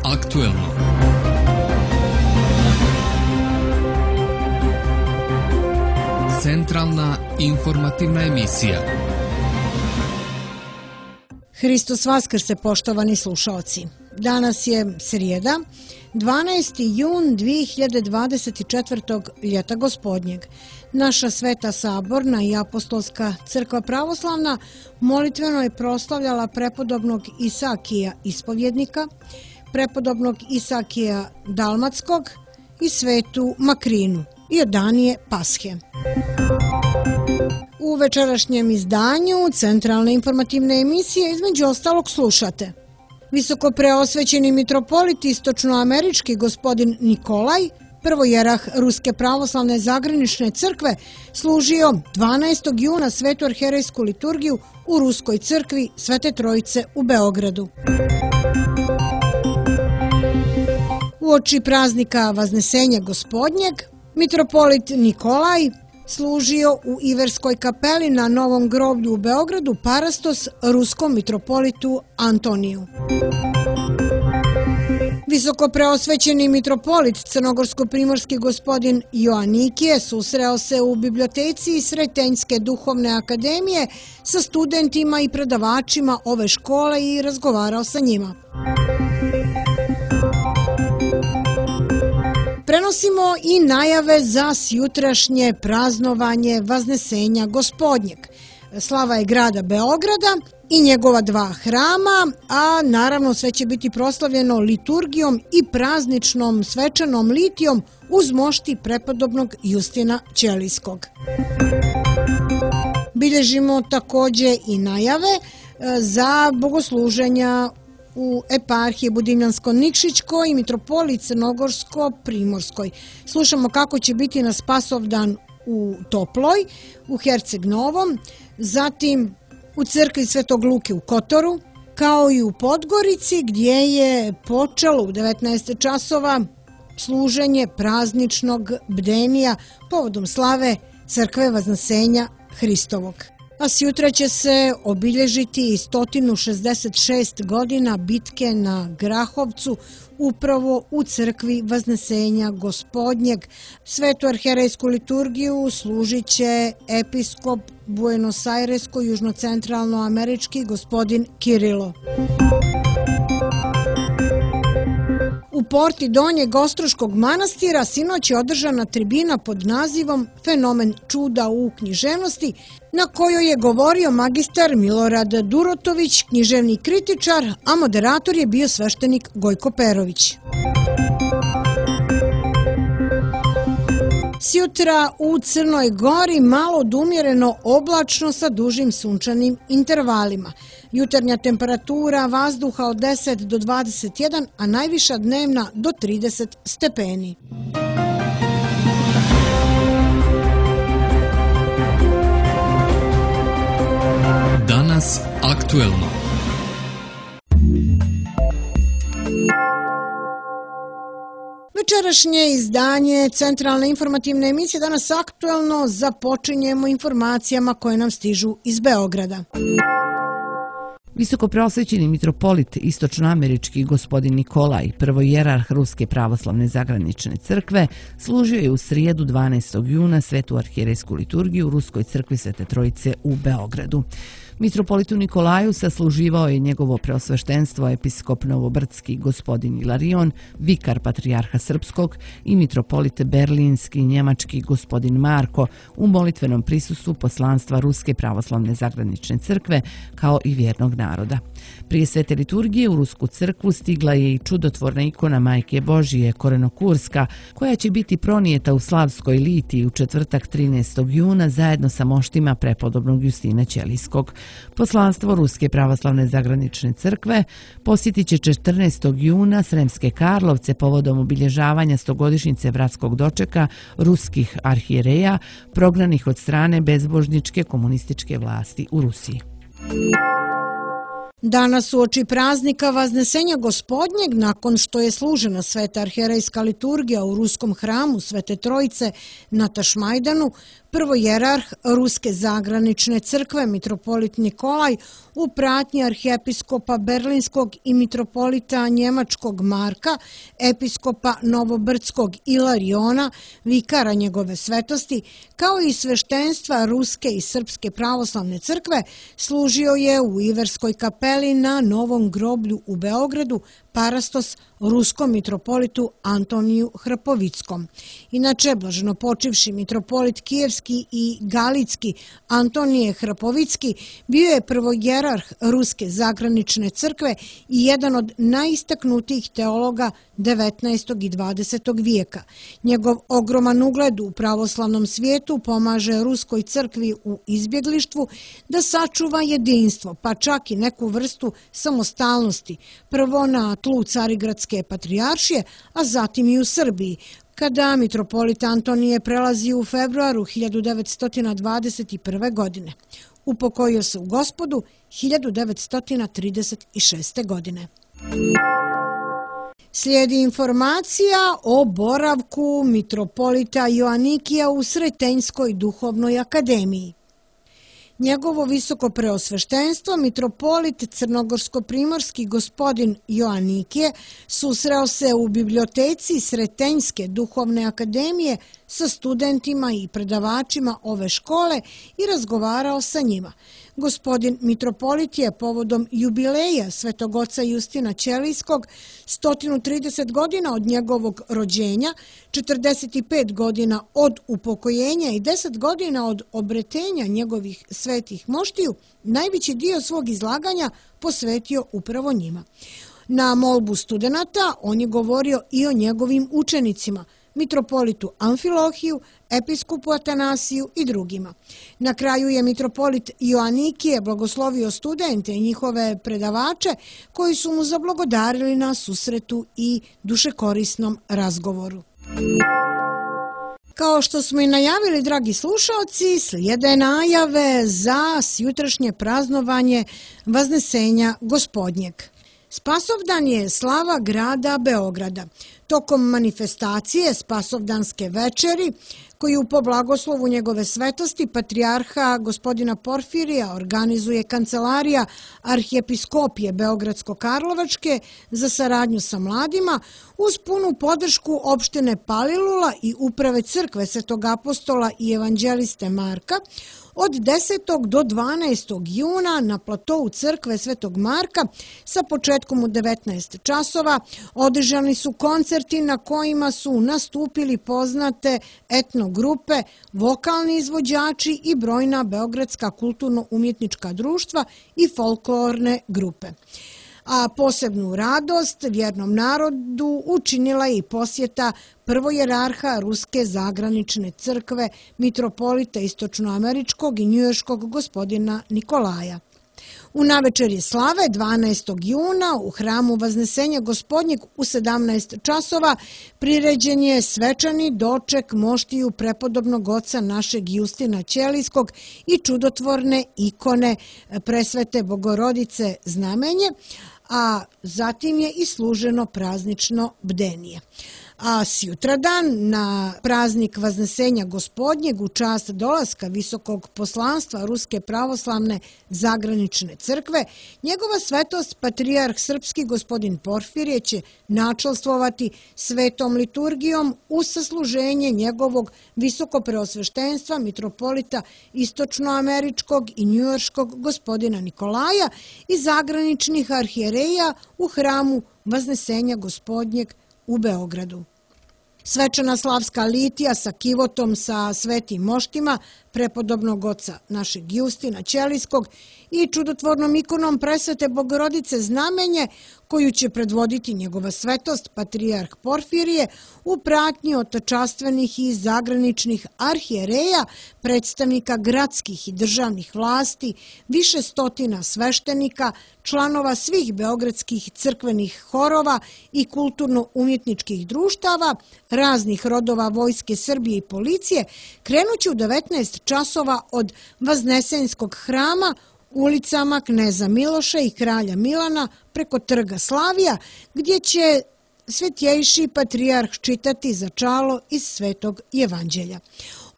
aktuelno. Centralna informativna emisija. Hristos Vaskrse, poštovani slušaoci. Danas je srijeda, 12. jun 2024. ljeta gospodnjeg. Naša Sveta Saborna i Apostolska crkva pravoslavna molitveno je proslavljala prepodobnog Isakija ispovjednika, prepodobnog Isakija Dalmatskog i svetu Makrinu i Odanije Pashe. U večerašnjem izdanju Centralne informativne emisije između ostalog slušate: visoko preosvećeni mitropolit istočnoamerički gospodin Nikolaj, prvojerah Ruske pravoslavne zagranične crkve, služio 12. juna svetu arherejsku liturgiju u Ruskoj crkvi Svete Trojice u Beogradu. Uoči praznika Vaznesenja gospodnjeg, mitropolit Nikolaj služio u Iverskoj kapeli na Novom groblju u Beogradu parastos ruskom mitropolitu Antoniju. Visoko preosvećeni mitropolit crnogorsko-primorski gospodin Joanikije susreo se u biblioteci Sretenjske duhovne akademije sa studentima i predavačima ove škole i razgovarao sa njima. Prenosimo i najave za sjutrašnje praznovanje Vaznesenja gospodnjeg. Slava je grada Beograda i njegova dva hrama, a naravno sve će biti proslavljeno liturgijom i prazničnom svečanom litijom uz mošti prepodobnog Justina Ćelijskog. Bilježimo također i najave za bogosluženja u eparhiji Budimljansko-Nikšićkoj i mitropoliji Crnogorsko-Primorskoj. Slušamo kako će biti na Spasovdan u Toploj, u Herceg Novom, zatim u crkvi Svetog Luke u Kotoru, kao i u Podgorici gdje je počelo u 19 časova služenje prazničnog bdenija povodom slave crkve Vaznesenja Hristovog. A sjutra će se obilježiti i 166 godina bitke na Grahovcu upravo u crkvi Vaznesenja gospodnjeg. Svetu arherejsku liturgiju služit će episkop Buenos Airesko-južnocentralnoamerički gospodin Kirilo. U porti Donjeg Ostroškog manastira sinoć je održana tribina pod nazivom Fenomen čuda u književnosti, na kojoj je govorio magistar Milorad Durotović, književni kritičar, a moderator je bio sveštenik Gojko Perović. Sjutra u Crnoj Gori malo odumjereno oblačno sa dužim sunčanim intervalima. Jutarnja temperatura vazduha od 10 do 21, a najviša dnevna do 30 stepeni. Danas aktuelno. Večerašnje izdanje Centralne informativne emisije Danas aktuelno započinjemo informacijama koje nam stižu iz Beograda. Visoko preosvećeni mitropolit istočnoamerički gospodin Nikolaj, prvojerarh Ruske pravoslavne zagranične crkve, služio je u srijedu 12. juna svetu arherejsku liturgiju u Ruskoj crkvi Svete Trojice u Beogradu. Mitropolitu Nikolaju sasluživao je njegovo preosveštenstvo episkop Novobrdski gospodin Ilarion, vikar patrijarha Srpskog i mitropolit Berlinski njemački gospodin Marko u molitvenom prisustvu poslanstva Ruske pravoslavne zagranične crkve kao i vjernog naroda. Prije svete liturgije u Rusku crkvu stigla je i čudotvorna ikona Majke Božije Korenokurska, koja će biti pronijeta u Slavskoj litiji u četvrtak 13. juna zajedno sa moštima prepodobnog Justina Ćelijskog. Poslanstvo Ruske pravoslavne zagranične crkve posjetit će 14. juna Sremske Karlovce povodom obilježavanja 100-godišnjice bratskog dočeka ruskih arhijereja prognanih od strane bezbožničke komunističke vlasti u Rusiji. Danas uoči praznika Vaznesenja Gospodnjeg, nakon što je služena sveta arhijerejska liturgija u ruskom hramu Svete Trojice na Tašmajdanu, prvojerarh Ruske zagranične crkve mitropolit Nikolaj u pratnji arhijepiskopa Berlinskog i mitropolita Njemačkog Marka, episkopa Novobrdskog Ilariona, vikara njegove svetosti, kao i sveštenstva Ruske i Srpske pravoslavne crkve, služio je u Iverskoj kapeli na Novom groblju u Beogradu parastos ruskom mitropolitu Antoniju Hrpovickom. Inače, blaženo počivši mitropolit Kijevski i Galitski Antonije Hrpovicki bio je prvojerarh Ruske zagranične crkve i jedan od najistaknutijih teologa 19. i 20. vijeka. Njegov ogroman ugled u pravoslavnom svijetu pomaže Ruskoj crkvi u izbjeglištvu da sačuva jedinstvo, pa čak i neku vrstu samostalnosti, prvo na tlu Carigradske patrijaršije, a zatim i u Srbiji, kada mitropolit Antonije prelazi u februaru 1921. godine. Upokojio se u Gospodu 1936. godine. Slijedi informacija o boravku mitropolita Joanikija u Sretenjskoj duhovnoj akademiji. Njegovo visoko preosveštenstvo, mitropolit crnogorsko-primorski gospodin Joanikije, susreo se u biblioteci Sretenjske duhovne akademije sa studentima i predavačima ove škole i razgovarao sa njima. Gospodin mitropolit je povodom jubileja Svetog oca Justina Ćelijskog, 130 godina od njegovog rođenja, 45 godina od upokojenja i 10 godina od obretenja njegovih svetih moštiju, najveći dio svog izlaganja posvetio upravo njima. Na molbu studenata on je govorio i o njegovim učenicima, mitropolitu Amfilohiju, episkopu Atanasiju i drugima. Na kraju je mitropolit Joanikije blagoslovio studente i njihove predavače koji su mu zablagodarili na susretu i dušekorisnom razgovoru. Kao što smo i najavili, dragi slušalci, slijede najave za sjutrašnje praznovanje Vaznesenja Gospodnjeg. Spasovdan je slava grada Beograda. Tokom manifestacije Spasovdanske večeri, koju po blagoslovu njegove svetosti patrijarha gospodina Porfirija organizuje Kancelarija arhijepiskopije Beogradsko-Karlovačke za saradnju sa mladima, uz punu podršku opštine Palilula i uprave crkve Svetog apostola i evanđeliste Marka, od 10. do 12. juna na platovu crkve Svetog Marka sa početkom u 19 časova održani su koncerti na kojima su nastupili poznate etno grupe, vokalni izvođači i brojna beogradska kulturno-umjetnička društva i folklorne grupe. A posebnu radost vjernom narodu učinila je i posjeta prvojerarha Ruske zagranične crkve, mitropolita istočnoameričkog i njujorškog gospodina Nikolaja. U navečerje slave 12. juna u hramu Vaznesenja Gospodnjeg u 17 časova priređen je svečani doček moštiju prepodobnog oca našeg Justina Ćelijskog i čudotvorne ikone presvete Bogorodice Znamenje, a zatim je i služeno praznično bdenije. A sutradan na praznik Vaznesenja Gospodnjeg u čast dolaska visokog poslanstva Ruske pravoslavne zagranične crkve, njegova svetost patrijarh srpski gospodin Porfirije će načalstvovati svetom liturgijom uz sasluženje njegovog visoko preosveštenstva mitropolita istočnoameričkog i njujorškog gospodina Nikolaja i zagraničnih arhijereja u hramu Vaznesenja Gospodnjeg u Beogradu. Svečana slavska litija sa kivotom sa svetim moštima prepodobnog oca našeg Justina Ćelijskog i čudotvornom ikonom presvete Bogorodice Znamenje, koju će predvoditi njegova svetost patrijarh Porfirije u pratnji od častvenih i zagraničnih arhijereja, predstavnika gradskih i državnih vlasti, više stotina sveštenika, članova svih beogradskih crkvenih horova i kulturno-umjetničkih društava, raznih rodova Vojske Srbije i policije, krenući u 19 časova od Vaznesenjskog hrama ulicama Kneza Miloša i Kralja Milana preko Trga Slavija, gdje će svetjejši patrijarh čitati začalo iz Svetog Evanđelja.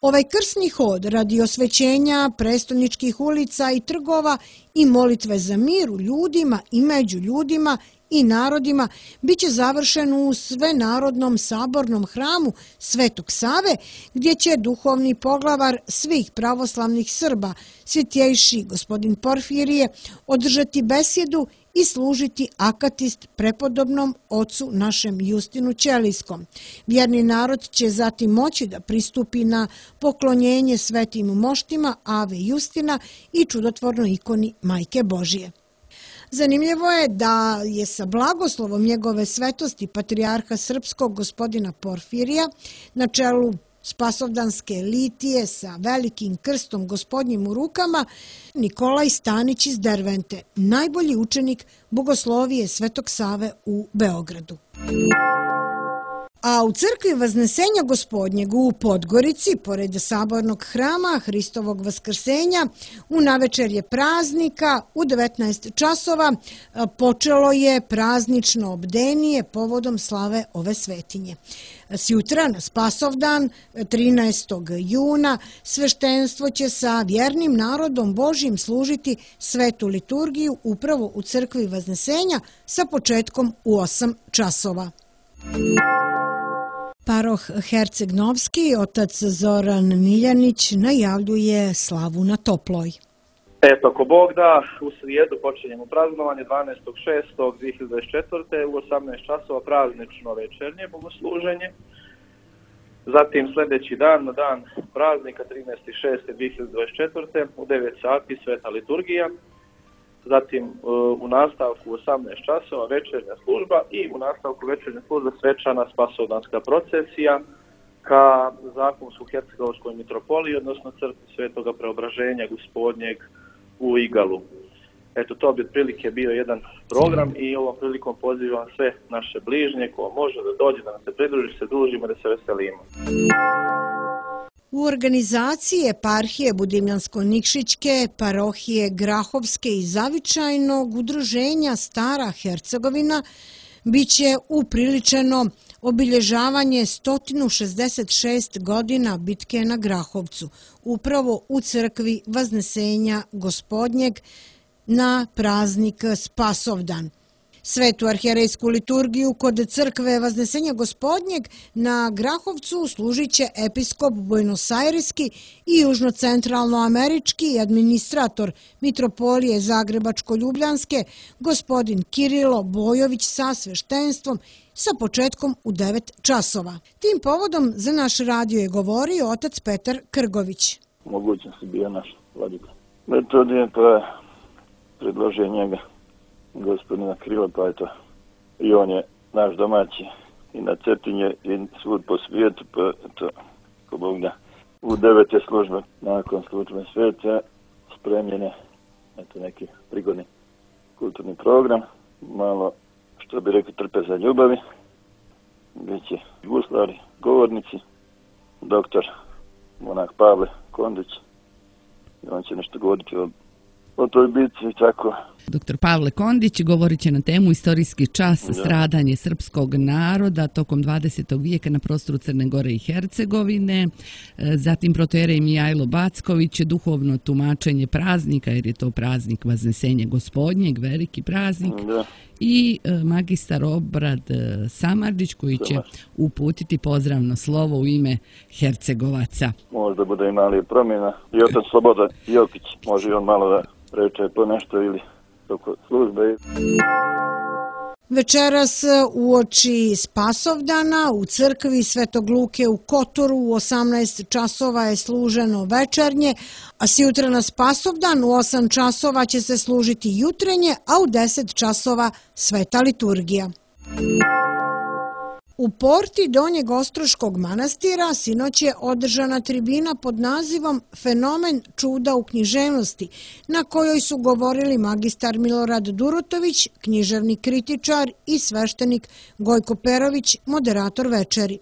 Ovaj krsni hod radi osvećenja prestolničkih ulica i trgova i molitve za mir u ljudima i među ljudima i narodima biće završen u Svenarodnom sabornom hramu Svetog Save, gdje će duhovni poglavar svih pravoslavnih Srba, svetjejši gospodin Porfirije, održati besjedu i služiti akatist prepodobnom ocu našem Justinu Ćelijskom. Vjerni narod će zatim moći da pristupi na poklonjenje svetim moštima Ave Justina i čudotvornoj ikoni Majke Božije. Zanimljivo je da je sa blagoslovom njegove svetosti patrijarha srpskog gospodina Porfirija na čelu spasovdanske litije sa velikim krstom gospodnjim u rukama Nikolaj Stanić iz Dervente, najbolji učenik bogoslovije Svetog Save u Beogradu. A u crkvi Vaznesenja Gospodnjeg u Podgorici, pored sabornog hrama Hristovog vaskrsenja, u navečerje praznika u 19 časova počelo je praznično obdenije povodom slave ove svetinje. Sjutra na Spasovdan, 13. juna, sveštenstvo će sa vjernim narodom Božjim služiti svetu liturgiju upravo u crkvi Vaznesenja sa početkom u 8 časova. Paroh Herceg-Novski, otac Zoran Miljanić, najavljuje slavu na Toploj. Eto, ako Bog da, u srijedu počinjemo praznovanje 12.6.2024. u 18 časova praznično večernje bogosluženje. Zatim sljedeći dan, na dan praznika 13.6.2024. u 9 sati sveta liturgija. Zatim u nastavku 18 časova večernja služba i u nastavku večernja služba svečana spasovdanska procesija ka Zakonsko-hercegovačkoj mitropoliji, odnosno crkvi Svetoga Preobraženja Gospodnjeg u Igalu. Eto, to bi otprilike bio jedan program i ovom prilikom pozivam sve naše bližnje ko može da dođe, da nam se pridruži, se družimo, da se veselimo. U organizaciji eparhije Budimljansko-Nikšićke, parohije Grahovske i Zavičajnog udruženja Stara Hercegovina biće upriličeno obilježavanje 166 godina bitke na Grahovcu, upravo u crkvi Vaznesenja Gospodnjeg na praznik Spasovdan. Svetu arhijerejsku liturgiju kod crkve Vaznesenja Gospodnjeg na Grahovcu služit će episkop Buenosajreski i južno-centralnoamerički administrator mitropolije Zagrebačko-Ljubljanske gospodin Kirilo Bojović sa sveštenstvom sa početkom u 9 časova. Tim povodom za naš radio je govorio otac Petar Krgović. Mogućnosti bio naš vladika. Metodije to je predložio njega gospodina Krila, pa eto, i on je naš domaći i na Cetinje i svud po svijetu, pa eto, ko Bog da, u 9. službe, nakon službe sveta, spremljene, eto, neki prigodni kulturni program, malo, što bi rekli, trpe za ljubavi, gdje će guslari, govornici, doktor monah Pavle Kondić, i on će nešto govoriti o toj bitci i tako. Dr. Pavle Kondić govorit će na temu istorijski čas stradanje srpskog naroda tokom 20. vijeka na prostoru Crne Gore i Hercegovine. Zatim protoijerej Mijajlo Backović, duhovno tumačenje praznika, jer je to praznik Vaznesenja Gospodnjeg, veliki praznik. I magistar Obrad Samardžić koji će uputiti pozdravno slovo u ime Hercegovaca. Možda bude i mali promjena. I otac Slobodan Jokić, može i on malo da reče po nešto ili toko službe. Večeras uoči Spasovdana u crkvi Svetog Luke u Kotoru u 18 časova je služeno večernje, a sjutra na Spasovdan u 8 časova će se služiti jutrenje, a u 10 časova sveta liturgija. U porti Donjeg Ostroškog manastira sinoć je održana tribina pod nazivom Fenomen čuda u književnosti, na kojoj su govorili magistar Milorad Durotović, književni kritičar i sveštenik Gojko Perović, moderator večeri.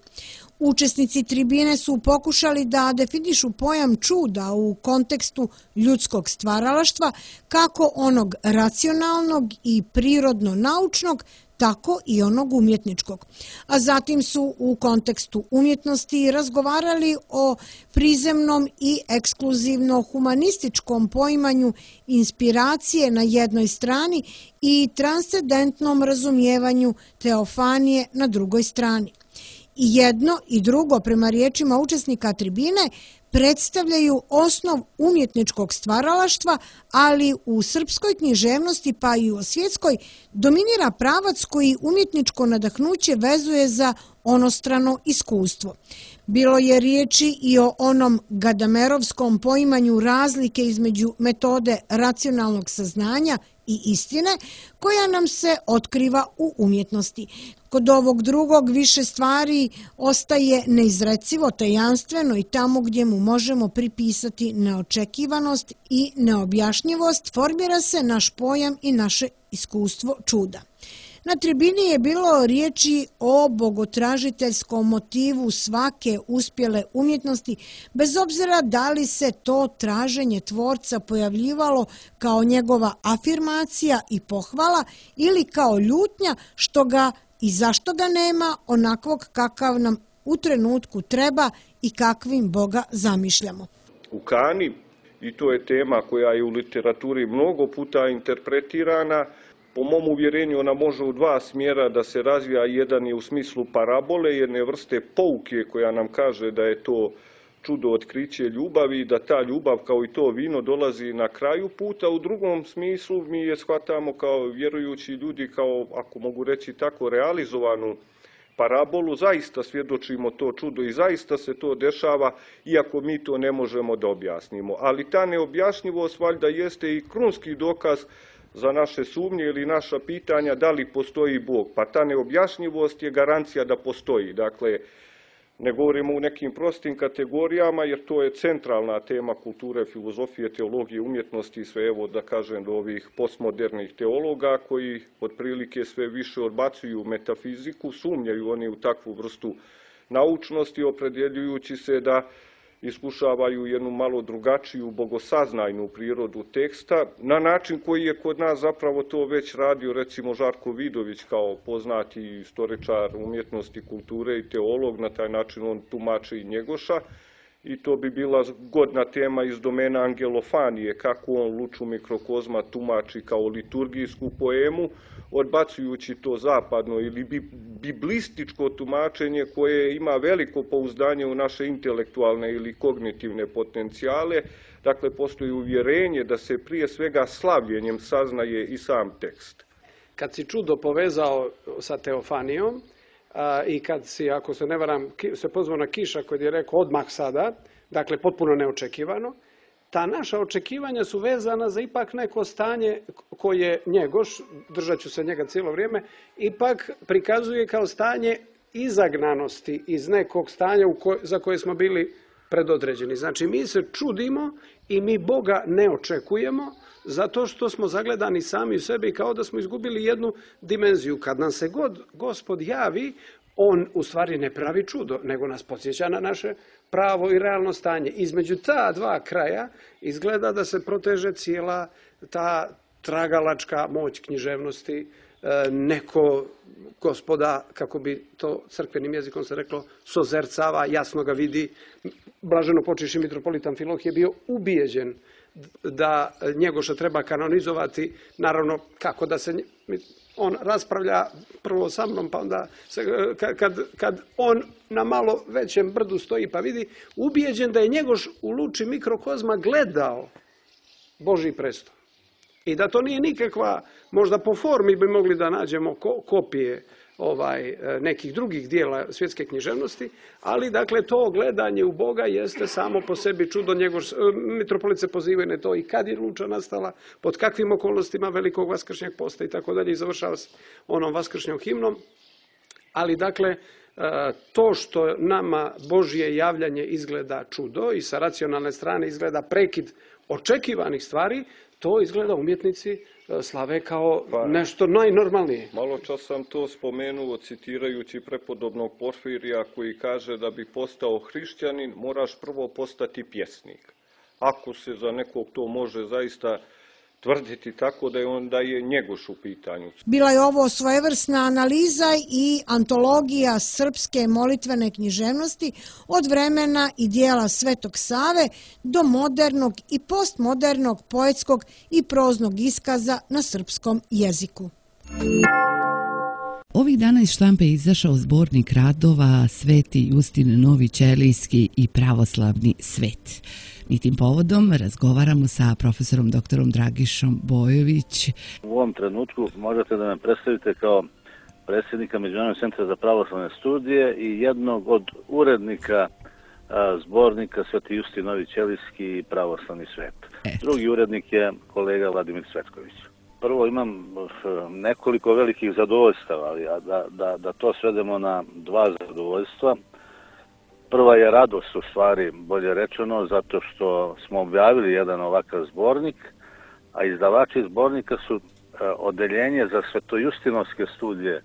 Učesnici tribine su pokušali da definišu pojam čuda u kontekstu ljudskog stvaralaštva, kako onog racionalnog i prirodno-naučnog, tako i onog umjetničkog. A zatim su u kontekstu umjetnosti razgovarali o prizemnom i ekskluzivno-humanističkom poimanju inspiracije na jednoj strani i transcendentnom razumijevanju teofanije na drugoj strani. I jedno i drugo, prema riječima učesnika tribine, predstavljaju osnov umjetničkog stvaralaštva, ali u srpskoj književnosti pa i u svjetskoj dominira pravac koji umjetničko nadahnuće vezuje za onostrano iskustvo. Bilo je riječi i o onom gadamerovskom poimanju razlike između metode racionalnog saznanja i istine koja nam se otkriva u umjetnosti. Kod ovog drugog više stvari ostaje neizrecivo, tajanstveno i tamo gdje mu možemo pripisati neočekivanost i neobjašnjivost, formira se naš pojam i naše iskustvo čuda. Na tribini je bilo riječi o bogotražiteljskom motivu svake uspjele umjetnosti, bez obzira da li se to traženje tvorca pojavljivalo kao njegova afirmacija i pohvala ili kao ljutnja što ga i zašto ga nema onakvog kakav nam u trenutku treba i kakvim Boga zamišljamo. U Kani, i to je tema koja je u literaturi mnogo puta interpretirana, po mom uvjerenju ona može u dva smjera da se razvija. Jedan je u smislu parabole, jedne vrste pouke koja nam kaže da je to čudo otkriće ljubavi i da ta ljubav kao i to vino dolazi na kraju puta. U drugom smislu mi je shvatamo kao vjerujući ljudi, kao, ako mogu reći tako, realizovanu parabolu. Zaista svjedočimo to čudo i zaista se to dešava, iako mi to ne možemo da objasnimo. Ali ta neobjašnjivost valjda jeste i krunski dokaz za naše sumnje ili naša pitanja da li postoji Bog. Pa ta neobjašnjivost je garancija da postoji. Dakle, ne govorimo u nekim prostim kategorijama, jer to je centralna tema kulture, filozofije, teologije, umjetnosti i sve, evo da kažem, do ovih postmodernih teologa koji otprilike sve više odbacuju metafiziku, sumnjaju oni u takvu vrstu naučnosti, opredjeljujući se da iskušavaju jednu malo drugačiju bogosaznajnu prirodu teksta, na način koji je kod nas zapravo to već radio recimo Žarko Vidović kao poznati istoričar umjetnosti, kulture i teolog, na taj način on tumači i Njegoša. I to bi bila godna tema iz domena angelofanije, kako on Luču mikrokozma tumači kao liturgijsku poemu, odbacujući to zapadno ili biblističko tumačenje koje ima veliko pouzdanje u naše intelektualne ili kognitivne potencijale. Dakle, postoji uvjerenje da se prije svega slavljenjem saznaje i sam tekst. Kad si čudo povezao sa teofanijom, i kad si, ako se ne varam, se pozvao na Kiša koji je rekao odmah sada, dakle potpuno neočekivano, ta naša očekivanja su vezana za ipak neko stanje koje Njegoš, držat ću se njega cijelo vrijeme, ipak prikazuje kao stanje izagnanosti iz nekog stanja za koje smo bili predodređeni. Znači mi se čudimo i mi Boga ne očekujemo zato što smo zagledani sami u sebi kao da smo izgubili jednu dimenziju. Kad nam se god Gospod javi, on u stvari ne pravi čudo, nego nas podsjeća na naše pravo i realno stanje. Između ta dva kraja izgleda da se proteže cijela ta tragalačka moć književnosti. Neko Gospoda, kako bi to crkvenim jezikom se reklo, sozercava, jasno ga vidi. Blaženo počivši mitropolit Amfilohije bio ubijeđen da Njegoša treba kanonizovati, naravno kako da se on raspravlja prvo sa mnom, pa onda kad on na malo većem brdu stoji pa vidi, ubijeđen da je Njegoš u Luči mikrokozma gledao Božji presto. I da to nije nikakva, možda po formi bi mogli da nađemo kopije nekih drugih dijela svjetske književnosti, ali dakle to gledanje u Boga jeste samo po sebi čudo. Mitropolit se pozivaju na to i kad je Luča nastala, pod kakvim okolnostima velikog vaskršnjeg posta i tako dalje, i završava s onom vaskršnjom himnom. Ali dakle, to što nama Božje javljanje izgleda čudo i sa racionalne strane izgleda prekid očekivanih stvari, to izgleda umjetnici slave kao nešto najnormalnije. Malo čas sam to spomenuo citirajući prepodobnog Porfirija koji kaže da bi postao hrišćanin moraš prvo postati pjesnik. Ako se za nekog to može zaista tvrditi tako da je Njegoš u pitanju. Bila je ovo svojevrsna analiza i antologija srpske molitvene književnosti od vremena i dijela Svetog Save do modernog i postmodernog poetskog i proznog iskaza na srpskom jeziku. Ovih dana iz štampe izašao zbornik radova Sveti Justin Novi Ćelijski i pravoslavni svet. I tim povodom razgovaramo sa profesorom doktorom Dragišom Bojović. U ovom trenutku možete da me predstavite kao predsjednika Međunarodnog centra za pravoslavne studije i jednog od urednika zbornika Sveti Justin Novi Ćelijski i pravoslavni svet. Drugi urednik je kolega Vladimir Cvetković. Prvo imam nekoliko velikih zadovoljstava, ali da to svedemo na dva zadovoljstva. Prva je radost, u stvari, bolje rečeno, zato što smo objavili jedan ovakav zbornik, a izdavači zbornika su odeljenje za svetojustinovske studije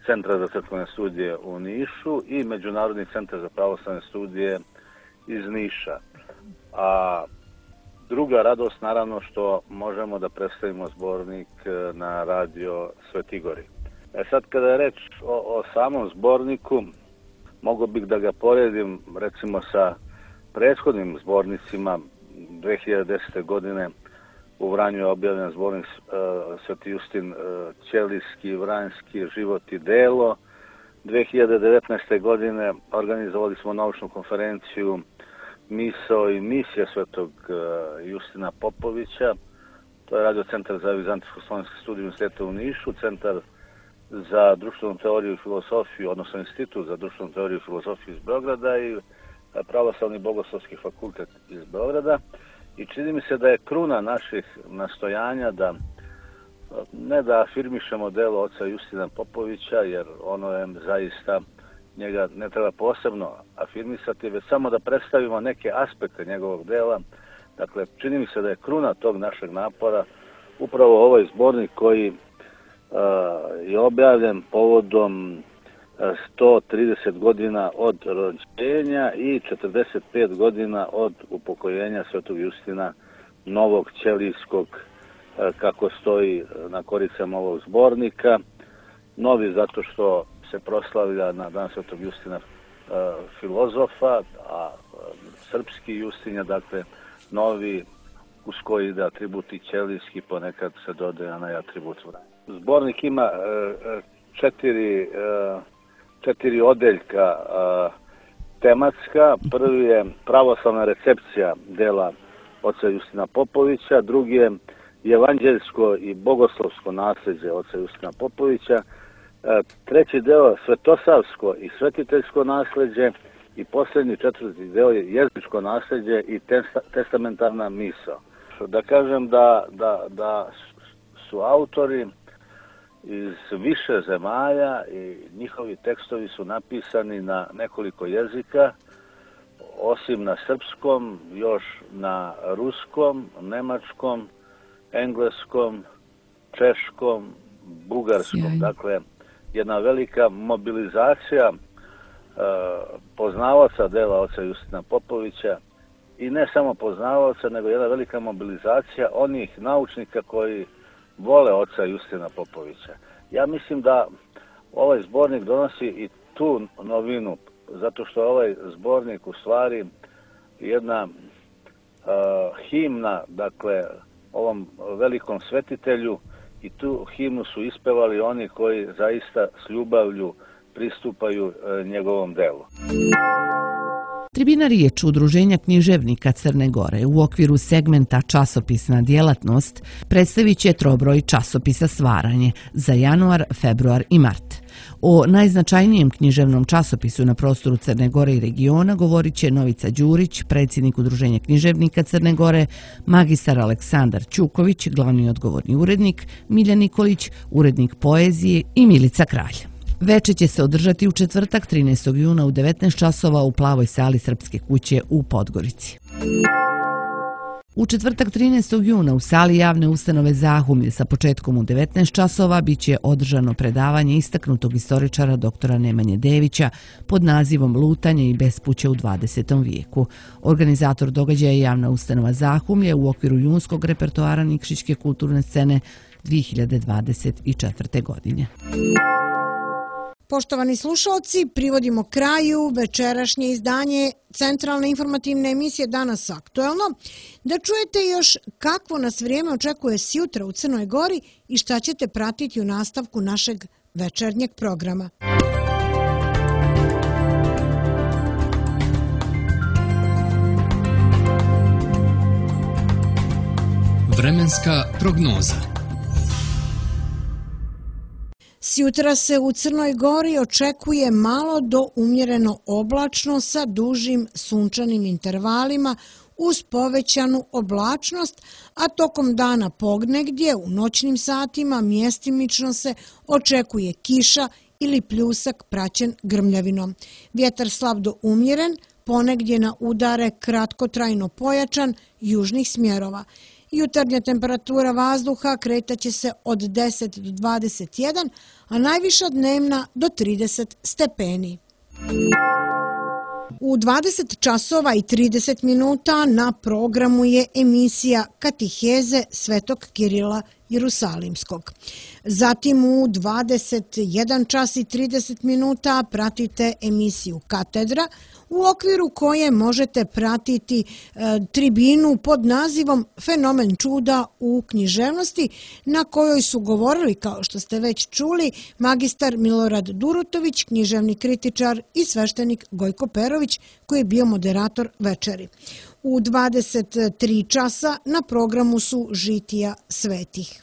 Centra za crkvene studije u Nišu i Međunarodni centar za pravoslavne studije iz Niša. A druga radost, naravno, što možemo da predstavimo zbornik na radio Svetigori. Sad, kada je reč o samom zborniku, mogo bih da ga poredim, recimo, sa prethodnim zbornicima. 2010. godine u Vranju je objavljen zbornik Sveti Justin Ćelijski, Vranjski, Život i delo. 2019. godine organizovali smo naučnu konferenciju Misao i misija Svetog Justina Popovića. To je Radio centar za vizantijsko-slovenske studije Univerziteta u Nišu, Centar za društvenu teoriju i filozofiju, odnosno Institut za društvenu teoriju i filozofiju iz Beograda i Pravoslavni bogoslovski fakultet iz Beograda. I čini mi se da je kruna naših nastojanja da ne da afirmišemo delo oca Justina Popovića, jer ono je zaista, njega ne treba posebno afirmisati, već samo da predstavimo neke aspekte njegovog dela. Dakle, čini mi se da je kruna tog našeg napora upravo ovaj zbornik koji je objavljen povodom 130 godina od rođenja i 45 godina od upokojenja Svetog Justina Novog Ćelijskog, kako stoji na koricama ovog zbornika. Novi zato što se proslavlja na dan Svetog Justina filozofa, a srpski Justin je, dakle, novi uz koji ide atribut i ćelijski, ponekad se dodaje onaj atribut Vranja. Zbornik ima četiri odeljka tematska. Prvi je pravoslavna recepcija dela oca Justina Popovića, drugi je evanđeljsko i bogoslovsko nasljeđe oca Justina Popovića, treći deo svetosavsko i svetiteljsko nasljeđe i posljednji četvrti deo je jezičko nasljeđe i testamentarna misao. Da kažem da su autori iz više zemalja i njihovi tekstovi su napisani na nekoliko jezika, osim na srpskom, još na ruskom, nemačkom, engleskom, češkom, bugarskom. Dakle, jedna velika mobilizacija poznavaoca dela oca Justina Popovića i ne samo poznavaoca, nego jedna velika mobilizacija onih naučnika koji vole oca Justina Popovića. Ja mislim da ovaj zbornik donosi i tu novinu, zato što je ovaj zbornik u stvari jedna himna, dakle, ovom velikom svetitelju, i tu himnu su ispevali oni koji zaista s ljubavlju pristupaju njegovom delu. Tribina riječ Udruženja književnika Crne Gore u okviru segmenta časopisna djelatnost predstavit će trobroj časopisa Stvaranje za januar, februar i mart. O najznačajnijem književnom časopisu na prostoru Crne Gore i regiona govorit će Novica Đurić, predsjednik Udruženja književnika Crne Gore, magistar Aleksandar Ćuković, glavni odgovorni urednik, Miljan Nikolić, urednik poezije i Milica Kralj. Veče će se održati u četvrtak 13. juna u 19 časova u Plavoj sali Srpske kuće u Podgorici. U četvrtak 13. juna u sali javne ustanove Zahumlje sa početkom u 19 časova biće održano predavanje istaknutog istoričara doktora Nemanje Devića pod nazivom Lutanje i bespuće u 20. vijeku. Organizator događaja je javna ustanova Zahumlje u okviru junskog repertoara Nikšićke kulturne scene 2024. godine. Poštovani slušalci, privodimo kraju večerašnje izdanje centralne informativne emisije Danas aktuelno. Da čujete još kakvo nas vrijeme očekuje sjutra u Crnoj Gori i šta ćete pratiti u nastavku našeg večernjeg programa. Vremenska prognoza. Sjutra se u Crnoj Gori očekuje malo do umjereno oblačno sa dužim sunčanim intervalima uz povećanu oblačnost, a tokom dana pognegdje u noćnim satima mjestimično se očekuje kiša ili pljusak praćen grmljavinom. Vjetar slab do umjeren, ponegdje na udare kratkotrajno pojačan južnih smjerova. Jutarnja temperatura vazduha kretaće se od 10 do 21, a najviša dnevna do 30 stepeni. U 20 časova i 30 minuta na programu je emisija Katiheze Svetog Kirila Jerusalimskog. Zatim u 21 čas i 30 minuta pratite emisiju Katedra, u okviru koje možete pratiti tribinu pod nazivom Fenomen čuda u književnosti, na kojoj su govorili, kao što ste već čuli, magistar Milorad Durutović, književni kritičar i sveštenik Gojko Perović, koji je bio moderator večeri. U 23 časa na programu su Žitija svetih.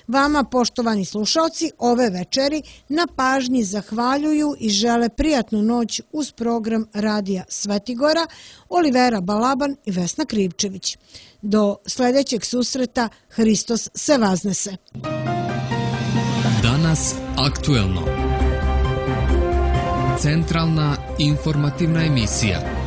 Vama, poštovani slušalci, ove večeri na pažnji zahvaljuju i žele prijatnu noć uz program Radija Svetigora, Olivera Balaban i Vesna Krivčević. Do sljedećeg susreta, Hristos se vaznese. Danas aktuelno. Centralna informativna emisija.